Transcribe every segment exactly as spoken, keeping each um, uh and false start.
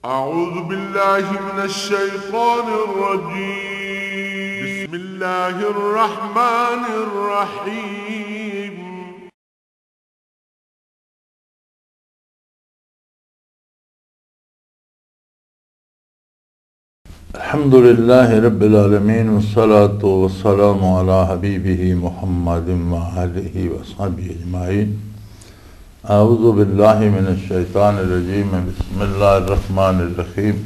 أعوذ بالله من الشيطان الرجيم. بسم الله الرحمن الرحيم. الحمد لله رب العالمين، والصلاة والسلام على حبيبه محمد وآله وصحبه أجمعين. أعوذ بالله من الشيطان الرجيم. بسم الله الرحمن الرحيم.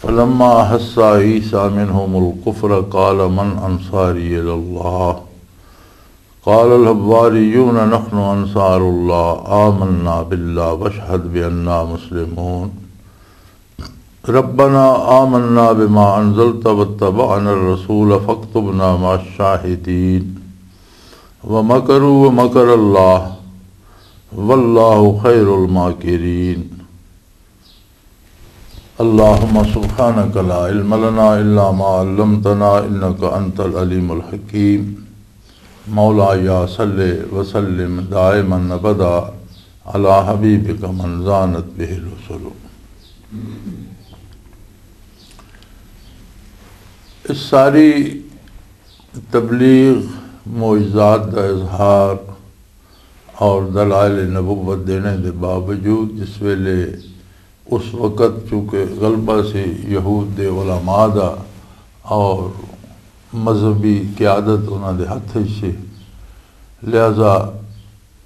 فلما أحس عيسى منهم الكفر قال من أنصاري إلى الله؟ قال الحواريون نحن أنصار الله، آمنا بالله واشهد بأننا مسلمون. ربنا آمنا بما أنزلت واتبعنا الرسول فاكتبنا مع الشاهدين. ومكروا ومكر الله والله خير الماكرين. اللهم سبحانك لا علم لنا إلا ما علمتنا إنك أنت العليم الحكيم. مولاي صل وسلم دائما أبدا على حبيبك من زانت به الرسل. اس ساری تبلیغ، معجزات دا اظہار اور دلائل نبوت دینے دے باوجود، جس ویلے اس وقت چونکہ غلبہ سی یہود دے علماء دا اور مذہبی قیادت انہاں دے ہتھ وچ سی، لہذا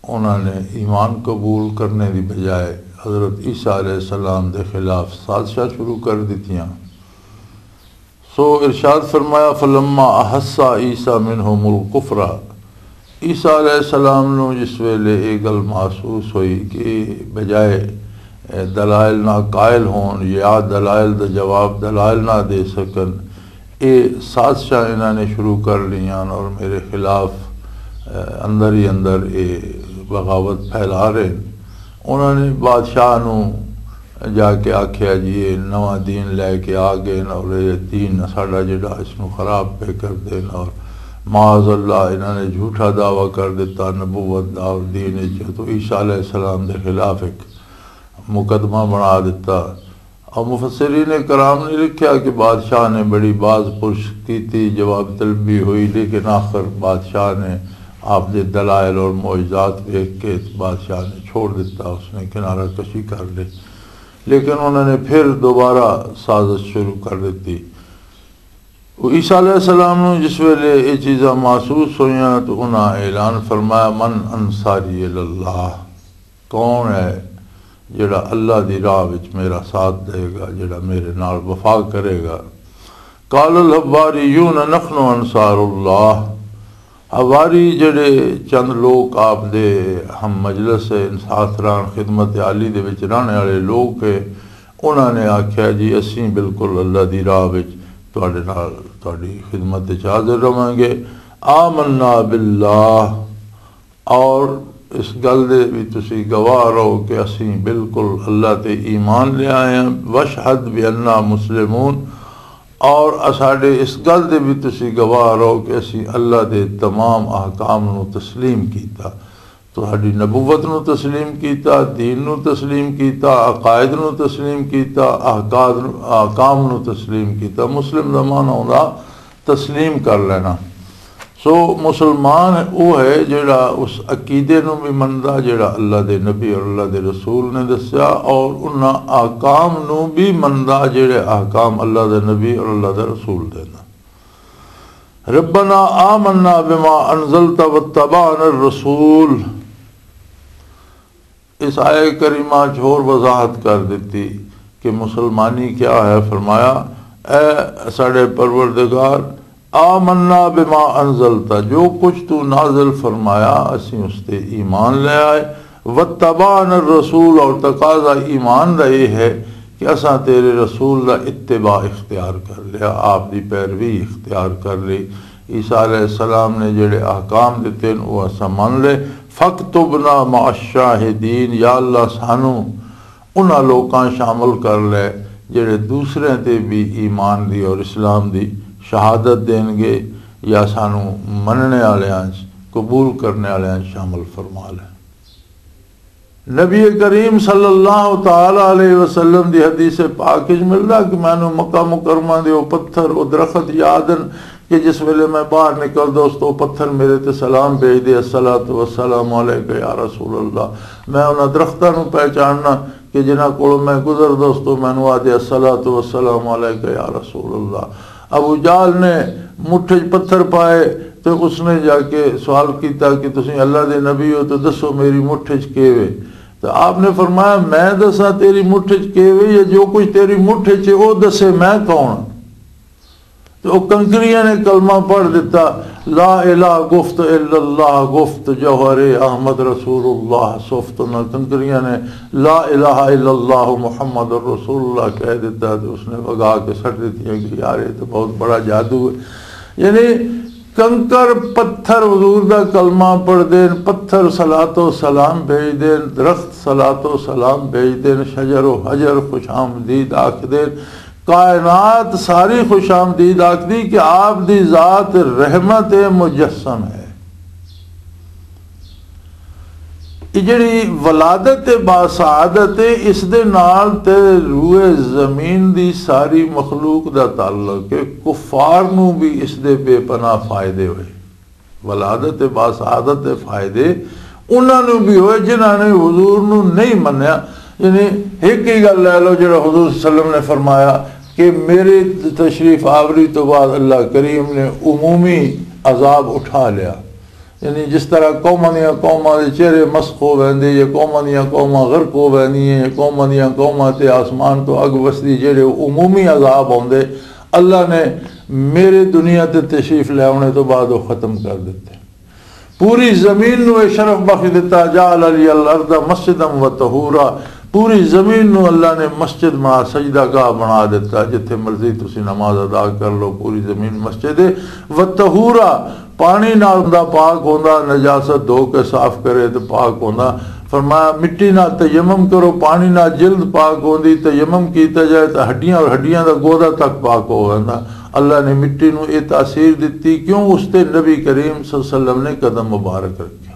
انہاں نے ایمان قبول کرنے دی بجائے حضرت عیسیٰ علیہ السلام دے خلاف سازشاں شروع کر دتیاں۔ سو ارشاد فرمایا، فلما احس عیسی منہم الکفر، عیسیٰ علیہ السلام نو جس ویلے یہ گل محسوس ہوئی کہ بجائے دلائل نہ قائل ہون یا دلائل دا جواب دلائل نہ دے سکن، یہ سازشاں انہاں نے شروع کر لیاں اور میرے خلاف اندر ہی اندر یہ بغاوت پھیلا رہے ہیں۔ انہاں نے بادشاہ نو جا کے آکھیا، جی یہ نواں دین لے کے آ گئے نا، اور یہ دین ساڈا جڑا اس نو خراب پہ کر دینا، اور معاذ اللہ انہاں نے جھوٹا دعویٰ کر دیتا نبوت دا اور دین وچ، تو عیسیٰ علیہ السلام دے خلاف ایک مقدمہ بنا دیتا۔ اور مفسرین کرام نے لکھیا کہ بادشاہ نے بڑی باز پرس کیتی، جواب طلبی ہوئی، لیکن آخر بادشاہ نے آپ دے دلائل اور معجزات دیکھ کے بادشاہ نے چھوڑ دیتا، اس نے کنارہ کشی کر لی۔ لیکن انہوں نے پھر دوبارہ سازش شروع کر دیتی۔ وہ عیسیٰ علیہ السلام نو جس ویلے یہ چیزاں محسوس ہوئیاں تو انہاں اعلان فرمایا، من انصاری اللہ، کون ہے جڑا اللہ دی راہ وچ میرا ساتھ دے گا، جڑا میرے نال وفا کرے گا؟ قال الحواریون نحن انصار اللہ۔ حواری جڑے چند لوگ آپ دے ہم مجلس ہے، ساتھ رہن خدمت عالی دے وچ رہنے والے لوگ ہے، انہاں نے آکھیا، جی اسیں بالکل اللہ دی راہ وچ تواڈے نال تواڈی خدمت وچ حاضر رہواں گے۔ آمنا باللہ، اور اس گل دے بھی تسی گواہ رہو کہ اسیں بالکل اللہ تے ایمان لے آئے ہیں، واشہد بأننا مسلمون، اور اساڈے اس گل دے بھی تسی گواہ رہو کہ اسیں اللہ دے تمام احکام نو تسلیم کیتا، تہاڈی نبوت نو تسلیم کیتا، دین نو تسلیم کیتا، عقائد نو تسلیم کیتا، احکام، احکام نو تسلیم کیتا۔ مسلم دا معنی ہوندا تسلیم کر لینا۔ سو مسلمان وہ ہے جڑا اس عقیدے نو بھی مندا جڑا اللہ دے نبی اور اللہ دے رسول نے دسیا، اور انہاں احکام نو بھی مندا جڑے احکام اللہ دے نبی اور اللہ دے رسول دے نا۔ ربنا آمنا بما انزلت واتبعنا الرسول۔ اس آیہ کریمہ چ ہور وضاحت کر دتی کہ مسلمانی کیا ہے۔ فرمایا، اے ساڈے پروردگار، آمنا بما انزلتا، جو کچھ تو نازل فرمایا، اسیں اس تے ایمان لے آئے۔ واتبعنا الرسول، اور تقاضا ایمان دا یہ ہے کہ اساں تیرے رسول دا اتباع اختیار کر لیا، آپ دی پیروی اختیار کر لی۔ عیسیٰ علیہ السلام نے جڑے احکام دیتے ہیں، وہ اساں من لے۔ فاکتبنا مع الشاہدین، یا اللہ سانو انہاں لوکاں شامل کر لے جڑے دوسرے تے بھی ایمان دی اور اسلام دی شہادت دین گے، یا سانو مننے والے، قبول کرنے والے شامل فرما لے۔ نبی کریم صلی اللہ تعالی علیہ وسلم دی حدیث پاک وچ ملدا کہ مینوں مکہ مکرمہ دے او پتھر، او درخت یاد ہن کہ جس ویلے میں باہر نکلدا، اس تو پتھر میرے تے سلام بھیج دے، "الصلاۃ والسلام علیک یا رسول اللہ۔" میں انہاں درختاں نوں پہچاننا کہ جنہاں کولوں میں گزر دوستو، مینوں آدھے، "الصلاۃ والسلام علیک یا رسول اللہ۔" ابو جہل نے مٹھ وچ پتھر پائے تے اس نے جا کے سوال کیتا کہ "تسیں اللہ دے نبی ہو تے دسو میری مٹھ وچ کی وے؟" تے آپ نے فرمایا، "میں دساں تیری مٹھ وچ کی وے یا جو کچھ تیری مٹھ وچ ہے، او دسے میں کون ہاں؟" تے او کنکریاں نے کلمہ پڑھ دتا، "لا الہ گفت الا اللہ، گفت جوہر احمد رسول اللہ سفت۔" نہ کنکریاں نے "لا الہ الا اللہ محمد رسول اللہ" کہہ دتا تے اس نے وگا کے سٹ دتیاں کہ یار، یہ تو بہت بڑا جادو ہے۔ یعنی کنکر پتھر حضور دا کلمہ پڑھ دین، پتھر صلات و سلام بھیج دین، درخت صلات و سلام بھیج دین، شجر و حجر خوش آمدید آکھ دین، کائنات ساری خوش آمدید آکھ دی کہ آپ دی ذات رحمت مجسم ہے۔ یہ جڑی ولادت باسعادت ہے، اس دے نال تے روئے زمین دی ساری مخلوق دا تعلق ہے۔ کفار نو بھی اس دے بے پناہ فائدے ہوئے۔ ولادت باسعادت دے فائدے انہاں نوں بھی ہوئے جنہاں نے حضور نوں نہیں منیا۔ یعنی ایک ہی گل لے لو، جڑا حضور صلی اللہ علیہ وسلم نے فرمایا کہ میرے تشریف آوری تو بعد اللہ کریم نے عمومی عذاب اٹھا لیا۔ یعنی جس طرح قوماں دیاں قوماں دے چہرے مسخ ہو ویندے، یا قوماں دیاں قوماں غرق ہو ویندیاں، یا قوماں دیاں قوماں تے آسمان تو اگ وسدی، جڑے عمومی عذاب ہوندے، اللہ نے میرے دنیا تے تشریف لے آنے تو بعد وہ ختم کر دیتے۔ پوری زمین نو یہ شرف بخش دیتا، "جعل لی الارض مسجدا و طہورا۔" پوری زمین نو اللہ نے مسجد بنا، سجدہ گاہ بنا دیتا، جتھے مرضی تسی نماز ادا کر لو، پوری زمین مسجد ہے۔ و طہورا، پانی نال بندہ پاک ہوندا، نجاست دھو کے صاف کرے تے پاک ہوندا۔ فرمایا، مٹی نال تیمم کرو، پانی نال جلد پاک ہوندی، تیمم کیتا جائے تے ہڈیاں اور ہڈیاں دا گودا تک پاک ہو ویندا۔ اللہ نے مٹی نوں یہ تاثیر دتی، کیوں؟ اس تے نبی کریم صلی اللہ علیہ وسلم نے قدم مبارک رکھیا۔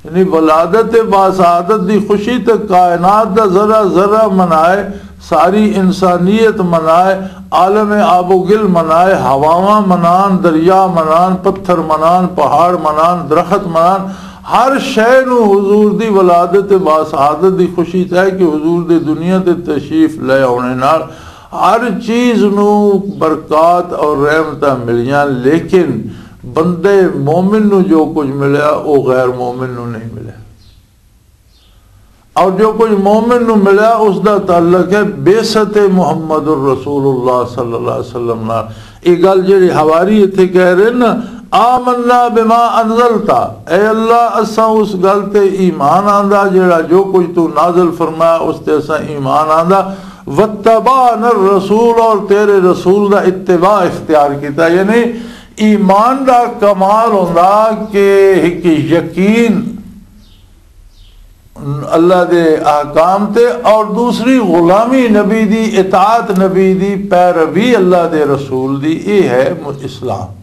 یعنی ولادت باسعادت دی خوشی تے کائنات دا ذرہ ذرہ منائے، ساری انسانیت منائے، عالم آب و گل منائے، ہواواں منان، دریا منان، پتھر منان، پہاڑ منان، درخت منان، ہر شے نو حضور دی ولادت باسعادت دی خوشی تے ہے کہ حضور دے دنیا تے تشریف لے آنے نال ہر چیز نو برکات اور رحمتاں ملیاں، لیکن بندے مومن نو جو کچھ ملیا، او غیر مومن نو نہیں ملیا۔ اور جو کچھ مومن نو ملیا، اس دا تعلق ہے بعثت محمد الرسول اللہ صلی اللہ علیہ وسلم نال۔ یہ گل جڑی حواری اتھے کہہ رہے نا، "آمنا بما انزلتا"، اے اللہ، اساں اس گل تے ایمان آندا جڑا جو کچھ تو نازل فرمایا، اس تے اساں ایمان آندا۔ "واتبعنا الرسول"، اور تیرے رسول دا اتباع اختیار کیتا۔ یعنی ایمان دا کمال ہوندا کہ ایک یقین اللہ دے احکام تے، اور دوسری غلامی نبی دی، اطاعت نبی دی، پیروی اللہ دے رسول دی، یہ ہے م-، اسلام۔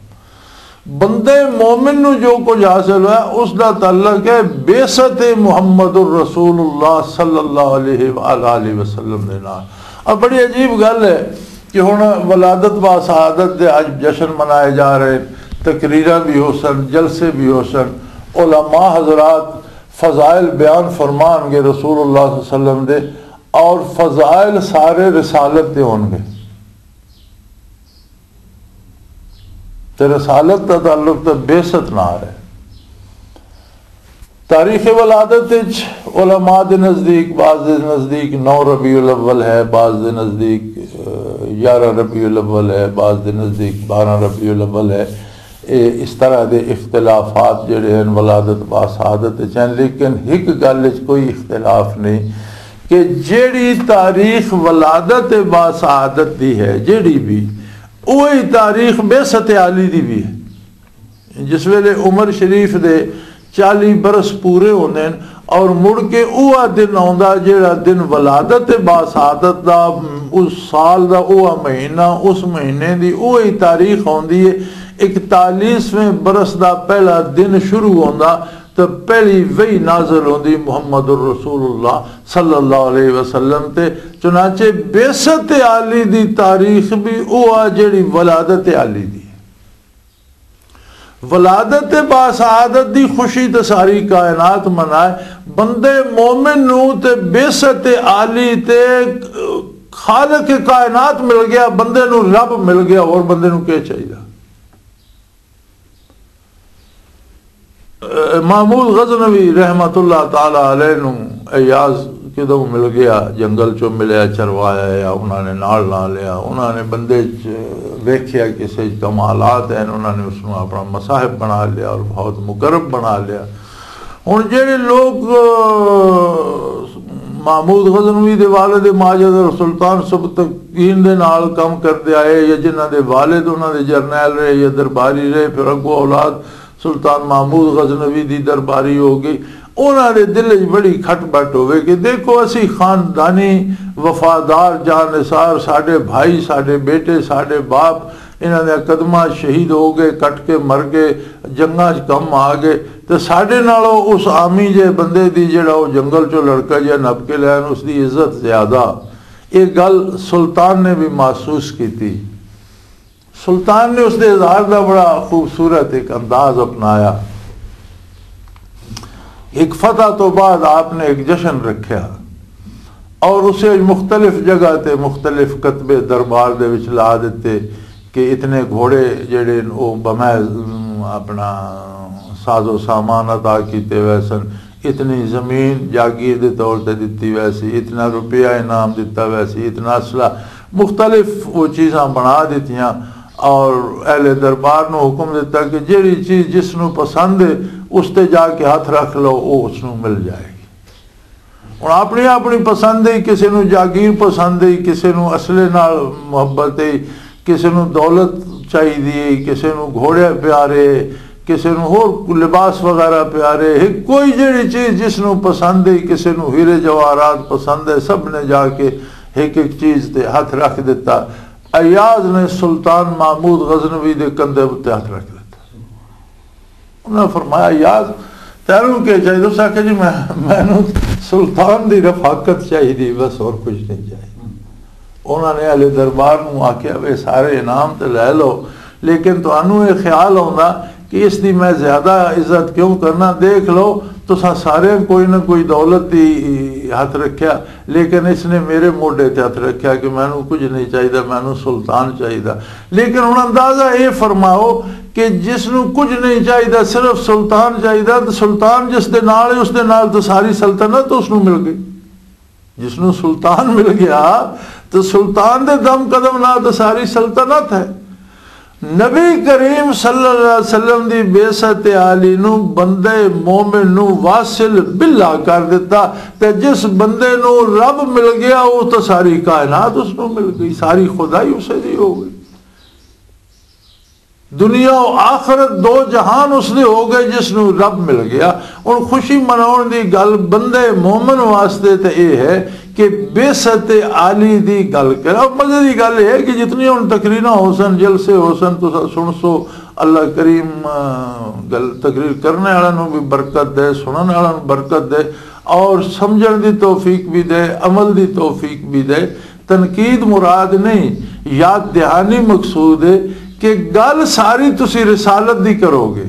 بندے مومن نو جو کچھ حاصل ہوا، اس دا تعلق ہے بعثت محمد الرسول اللہ صلی اللہ علیہ وآلہ وسلم دے نال۔ اب بڑی عجیب گل ہے کہ ہن ولادت با سعادت دے اج جشن منائے جا رہے، تقریراں بھی ہو سن، جلسے بھی ہو سن، علماء حضرات فضائل بیان فرمان گے رسول اللہ صلی اللہ علیہ وسلم دے، اور فضائل سارے رسالت دے ہون گے۔ تے رسالت دا تعلق تے بعثت نال ہے۔ تاریخ ولادت وچ علماء دے نزدیک، بعض دے نزدیک نو ربیع الاول ہے، بعض دے نزدیک، اہ، یارہ ربیع الاول ہے، بعض دے نزدیک بارہ ربیع الاول ہے۔ اے اس طرح دے اختلافات جڑے ہیں ولادت با سعادت وچ ہیں، لیکن ایک گل وچ کوئی اختلاف نہیں کہ جیڑی تاریخ ولادت با سعادت دی ہے، جیڑی بھی، وہی تاریخ بعثت عالی دی بھی ہے۔ جس ویلے عمر شریف دے چالی برس پورے ہوندے ہن اور مڑ کے اوہ دن آوندا جیڑا دن ولادت با سعادت دا، اس سال دا اوہ مہینہ، اس مہینے دی اوہی تاریخ آوندی ہے، اکتالیسویں برس دا پہلا دن شروع ہوندا۔ تے پہلی وحی نازل ہوندی محمد الرسول اللہ صلی اللہ علیہ وسلم تے۔ چنانچہ بعثت عالی دی تاریخ بھی او آ جڑی ولادت عالی دی۔ ولادت با سعادت دی خوشی تے ساری کائنات منائے۔ بندے مومن نو تے بعثت عالی تے خالق کائنات مل گیا، بندے نو رب مل گیا، اور بندے نو کیا چاہیے؟ محمود غزنوی رحمت اللہ تعالی علیہ نو ایاز کدوں مل گیا؟ جنگل چوں ملیا، چروایا یا انہاں نے نال لا لیا، انہاں نے بندے چ ویکھیا کسے چ کمالات ہیں، انہاں نے اس نو اپنا مصاحب بنا لیا اور بہت مقرب بنا لیا۔ ہن جڑے لوگ، آ، محمود غزنوی دے والد ماجد اور سلطان سبکتگین دے نال کم کردے آئے، یا جنہاں دے والد انہاں دے جرنیل رہے یا درباری رہے، پھر اگوں اولاد سلطان محمود غزنوی دی درباری ہو گئی، انہاں دے دل وچ بڑی کھٹ بٹ ہوئے کہ دیکھو، اسی خاندانی وفادار جانثار، ساڈے بھائی، ساڈے بیٹے، ساڈے باپ، انہاں دے قدماں شہید ہو گئے، کٹ کے مر گئے، جنگاں چ کم آ گئے، تے ساڈے نالوں اس عامی جے بندے دی، جڑا او جنگل چوں لڑکا جہا نپ کے لے آئے، اس دی عزت زیادہ۔ یہ گل سلطان نے بھی محسوس کیتی۔ سلطان نے اس دے اظہار دا بڑا خوبصورت ایک انداز اپنایا۔ ایک فتح تو بعد آپ نے ایک جشن رکھیا اور اسے مختلف جگہ تے مختلف کتبے دربار دے وچ لا دیتے کہ اتنے گھوڑے جڑے نے، او بمحض، ام، اپنا ساز و سامان عطا کیتے ہوئے سن، اتنی زمین جاگیر دے طور تے دتی ہوئی سی، اتنا روپیہ انعام دتا ہویا سی، اتنا اسلحہ، مختلف وہ چیزاں بنا دتیاں۔ اور اہل دربار نو حکم دتا کہ جیڑی چیز جس نو پسند ہے، اس تے جا کے ہاتھ رکھ لو، وہ اس نو مل جائے گی۔ ہن اپنی اپنی پسند ہے، کسے نو جاگیر پسند ہے، کسے نو اصلے نال محبت ہے، کسے نو دولت چاہیدی ہے، کسے نو گھوڑے پیارے، کسے نو ہور لباس وغیرہ پیارے ہے۔ کوئی جیڑی چیز جس نو پسند ہے، کسے نو ہیرے جواہرات پسند ہے، سب نے جا کے ایک ایک چیز تے ہاتھ رکھ دیتا۔ ایاز نے سلطان محمود غزنوی دے کندھے اُتے ہاتھ رکھ دیتا۔ انہاں فرمایا، "یار، تینوں کی چاہیے؟" اس آکھیا، "جی، میں، مینوں سلطان دی رفاقت چاہیے، بس اور کچھ نہیں چاہیے۔" انہاں نے اہل دربار نوں آکھیا، "وے سارے انعام تے لے لو، لیکن تانوں یہ خیال آوندا کہ اس دی میں زیادہ عزت کیوں کرنا؟ دیکھ لو، تساں سارے کوئی نہ کوئی دولت دی ہاتھ رکھیا۔" لیکن اس نے میرے موڈے تے ہاتھ رکھیا کہ مینوں کچھ نہیں چاہیدا، مینوں سلطان چاہیدا۔ لیکن ہن اندازہ اے فرماؤ کہ جس نوں کچھ نہیں چاہیدا، صرف سلطان چاہیدا، تے سلطان جس دے نال ہے، اس دے نال تے ساری سلطنت اس نوں مل گئی۔ جس نوں سلطان مل گیا، تے سلطان دے دم قدم نال تے ساری سلطنت ہے۔ نبی کریم صلی اللہ علیہ وسلم دی بعثت عالی نو بندے مومن نو واصل باللہ کر دیتا، تے جس بندے نو رب مل گیا، وہ تو ساری کائنات اس نو مل گئی، ساری خدائی اسے دی ہو گئی۔ دنیا و آخرت دو جہان اس دے ہو گئے جس نو رب مل گیا۔ ہن خوشی مناؤن دی گل بندے مومن واسطے تے اے ہے کہ بعثت عالی دی گل کرا۔ مزے دی گل اے ہے کہ جتنی ہن تقریراں ہو سن، جلسے ہو سن، تساں سن سو، اللہ کریم، آ، گل تقریر کرنے والا نو بھی برکت دے، سنن والا نو برکت دے، اور سمجھن دی توفیق بھی دے، عمل دی توفیق بھی دے۔ تنقید مراد نہیں، یاد دہانی مقصود ہے کہ گل ساری تسی رسالت دی کرو گے،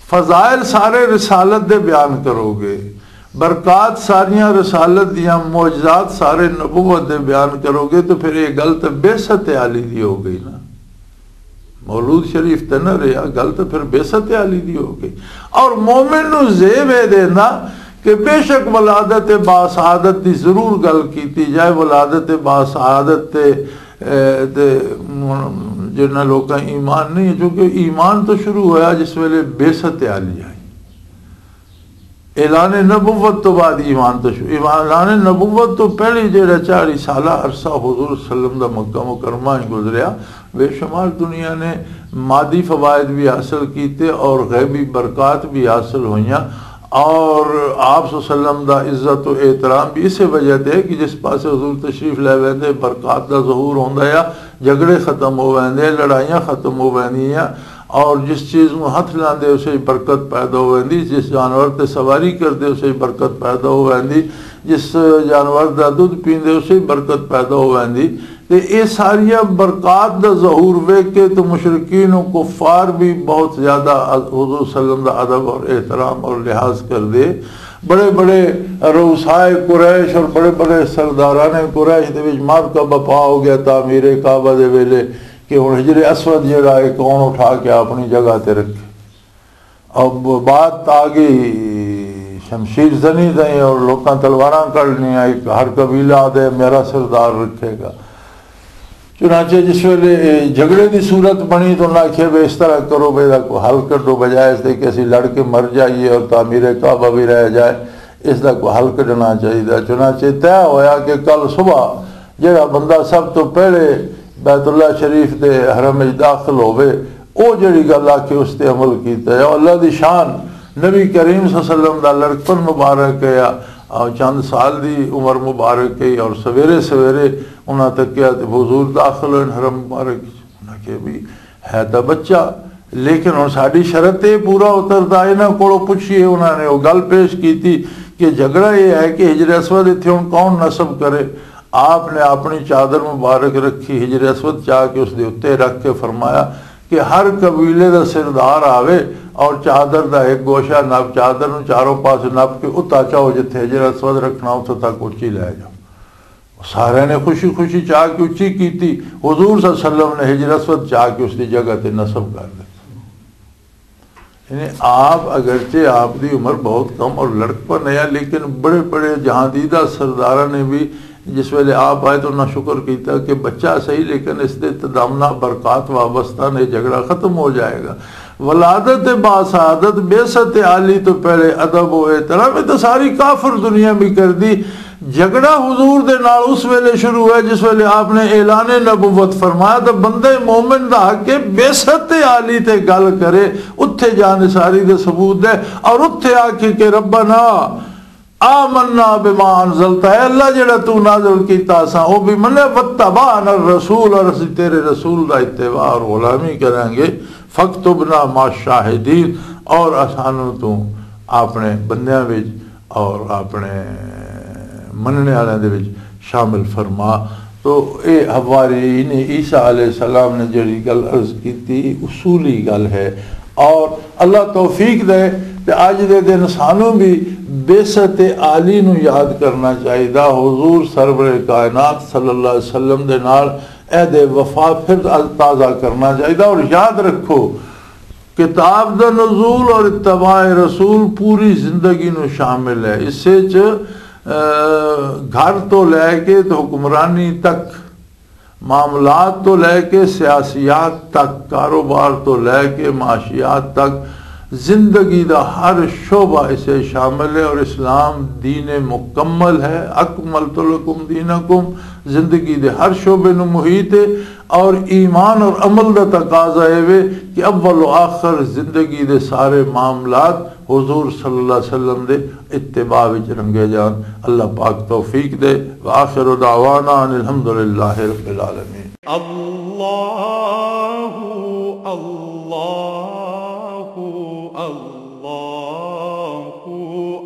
فضائل سارے رسالت دے بیان کرو گے، برکات ساریاں رسالت دیاں، معجزات سارے نبوت دے بیان کرو گے، تو پھر یہ گل تو بعثت عالی دی ہو گئی نا۔ مولود شریف تے نہ رہیا، گل تے پھر بعثت عالی دی ہو گئی۔ اور مومن نو زیب اے دینا کہ بے شک ولادت با سعادت دی ضرور گل کیتی جائے۔ ولادت با سعادت تے، اے، تے جنہاں لوکاں ایمان نہیں، چونکہ ایمان تو شروع ہویا جس ویلے بعثت عالی آئی۔ اعلان نبوت تو بعد ایمان تو شروع، ایمان، اعلان نبوت تو پہلے جڑا چالیس سالہ عرصہ حضور صلی اللہ علیہ وسلم دا مکہ مکرمہ وچ گزریا، بے شمار دنیا نے مادی فوائد بھی حاصل کیتے اور غیبی برکات بھی حاصل ہوئیاں۔ اور آپ صلی اللہ علیہ وسلم دا عزت و احترام بھی اسی وجہ تے ہے کہ جس پاسے حضور تشریف لے ویندے، برکات دا ظہور ہوندا ہے، جھگڑے ختم ہو ویندے، لڑائیاں ختم ہو ویندیاں۔ اور جس چیز نوں ہتھ لاندے، اسے برکت پیدا ہو ویندی۔ جس جانور تے سواری کردے، اسے برکت پیدا ہو ویندی۔ جس جانور دا دودھ پیندے، اسے برکت پیدا ہو ویندی۔ تے اے ساریاں برکات دا ظہور ویکھ کے تو مشرکین و کفار بھی بہت زیادہ حضور صلی اللہ علیہ وسلم دا ادب اور احترام اور لحاظ کردے۔ بڑے بڑے رؤسائے قریش اور بڑے بڑے سرداران قریش دے وچ مار کا بپا ہو گیا تعمیر کعبہ دے ویلے، کہ ہن حجر اسود جڑا ہے، کون اٹھا کے اپنی جگہ تے رکھے۔ اب بات آ گئی شمشیر زنی تائیں، اور لوکاں تلواراں کڈنیاں، ایک ہر قبیلہ آدھے میرا سردار رکھے گا۔ چنانچہ جس ویلے جھگڑے دی صورت بنی تو انہاں آکھیا، "بے اس طرح کرو، بے دا کوئی حل کڈو، بجائے اس دے کہ اسی لڑ کے مر جائیے اور تعمیر کعبہ بھی رہ جائے، اس دا کوئی حل کڈنا چاہیے۔" چنانچہ طے ہویا کہ کل صبح جڑا بندہ سب تو پہلے بیت اللہ شریف دے حرم وچ داخل ہووے، او جڑی گل آکھے اس تے عمل کیتا ہے۔ او اللہ دی شان، نبی کریم صلی اللہ علیہ وسلم دا لڑکپن مبارک ہے، آ، آ، چند سال دی عمر مبارک ہے، اور سویرے سویرے انہاں تکیا تے حضور داخل ہوئے حرم مبارک۔ انہاں کہیا، "بھی ہے تاں بچہ، لیکن ہن ساڈی شرط تے پورا اتردا۔" انہاں کولوں پچھیے، انہاں نے او گل پیش کیتی کہ جھگڑا یہ ہے کہ حجر اسود اتھے ہن کون نصب کرے؟ آپ نے اپنی چادر مبارک رکھی، حجر اسود چا کے اس دے اُتے رکھ کے فرمایا کہ ہر قبیلے دا سردار آوے اور چادر دا ایک گوشہ نپ، چادر نوں چاروں پاسے نپ کے اتھا چاہو جتھے حجر اسود رکھنا، اتھوں تک اچی لے جاؤ۔ سارے نے خوشی خوشی چاہ کے اچی کیتی۔ حضور صلی اللہ علیہ وسلم نے حجر اسود چاہ کے اس دی جگہ تے نصب کر دتا۔ یعنی آپ، اگرچہ آپ دی عمر بہت کم اور لڑکپن ہے، لیکن بڑے بڑے جہاں دیدہ سرداراں نے بھی جس ویلے آپ آئے تو انہاں شکر کیتا کہ بچہ صحیح، لیکن اس دے تدامنا برکات وابستہ نے، جھگڑا ختم ہو جائے گا۔ ولادت با سعادت، بعثت عالی تو پہلے ادب و احترام، یہ تو ساری کافر دنیا بھی کر دی۔ جھگڑا حضور دے نال اس ویلے شروع ہے جس ویلے آپ نے اعلان نبوت فرمایا، تو بندے مومن دا حق ہے بعثت عالی تے گل کرے، اتھے جان ساری دے ثبوت دے، اور اتھے آکھے کہ "ربنا آمنا بما انزلت"، اے اللہ جڑا تو نازل کیتا اساں او بھی منیا، "واتبعنا الرسول"، اور اسی تیرے رسول دا اتباع اور غلامی کریں گے، "فاکتبنا مع الشاہدین"، اور اسانوں تو اپنے بندیاں وچ اور اپنے مننے والے دے وچ شامل فرما۔ تو اے حواری نے عیسیٰ علیہ السلام نے جڑی گل عرض کیتی، اصولی گل ہے۔ اور اللہ توفیق دے تے اج دے دن سانوں بھی بعثت عالی نو یاد کرنا چاہیدا۔ حضور سرور کائنات صلی اللہ علیہ وسلم دے نال عہد وفا پھر تازہ کرنا چاہیدا۔ اور یاد رکھو، کتاب دا نزول اور اتباع رسول پوری زندگی نو شامل ہے۔ اس وچ، آ، گھر تو لے کے تے حکمرانی تک، معاملات تو لے کے سیاسیات تک، کاروبار تو لے کے معاشیات تک، زندگی دا ہر شعبہ اسے شامل ہے۔ اور اسلام دین مکمل ہے، اکملت لکم دینکم، زندگی دے ہر شعبے نو محیط ہے۔ اور ایمان اور عمل دا تقاضا اے وے کہ اول و آخر زندگی دے سارے معاملات حضور صلی اللہ علیہ وسلم دے اتباع وچ رنگے جان۔ اللہ پاک توفیق دے۔ وآخر دعوانا ان الحمدللہ رب العالمین۔ اللہ، اللہ، اللہ،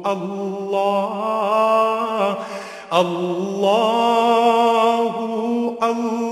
اللہ، اللہ، اللہ۔